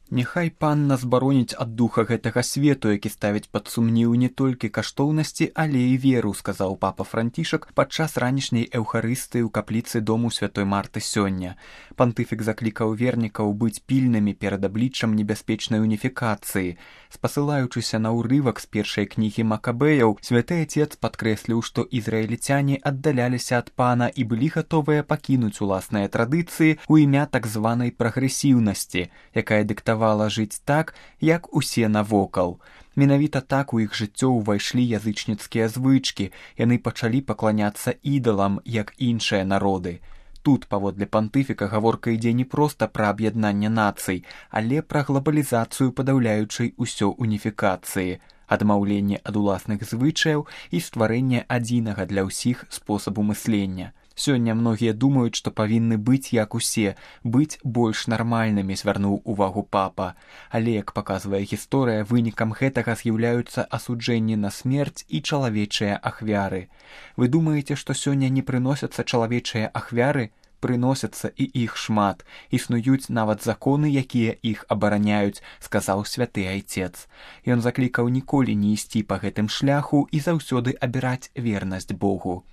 Няхай пан нас бароніць ад духа гэтага свету, які ставіць пад сумнеў не толькі каштоўнасці, але і веру, сказаў папа Францішак падчас ранішняй эўхарыстыі ў капліцы дому святой Марты сёння. Пантыфік заклікаў вернікаў быць пільнымі перад абліччам небяспечнай уніфікацыі. Спасылаючыся на ўрывак з першай кнігі Макабеяў, святы Отец падкрэсліў, што ізраільцяне аддаляліся ад пана і былі гатовыя пакінуць уласныя традыцыі ў імя так званай прагрэсіўнасці, якая дыктавала жыць так, як усе навокал. Менавіта так у іх жыццё ўвайшлі язычніцкія звычкі, яны пачалі пакланяцца ідалам, як іншыя народы. Тут, паводле пантыфіка, гаворка ідзе не проста пра аб'яднанне нацый, але пра глобалізацыю падаўляючай усё уніфікацыі, адмаўленне ад уласных звычаяў і стварэнне адзінага для ўсіх спосабу мыслення. Сёння многія думаюць, што павінны быць як усе, быць больш нармальнымі, звярнуў увагу папа. Але, як паказвае гісторыя, вынікам гэтага з'яўляюцца асуджэнні на смерць і чалавечыя ахвяры. Вы думаеце, што сёння не прыносяцца чалавечыя ахвяры? Прыносяцца, і іх шмат. Існуюць нават законы, якія іх абараняюць, сказаў святы Айцец. Ён заклікаў ніколі не ісці па гэтым шляху і заўсёды абіраць вернасць Богу.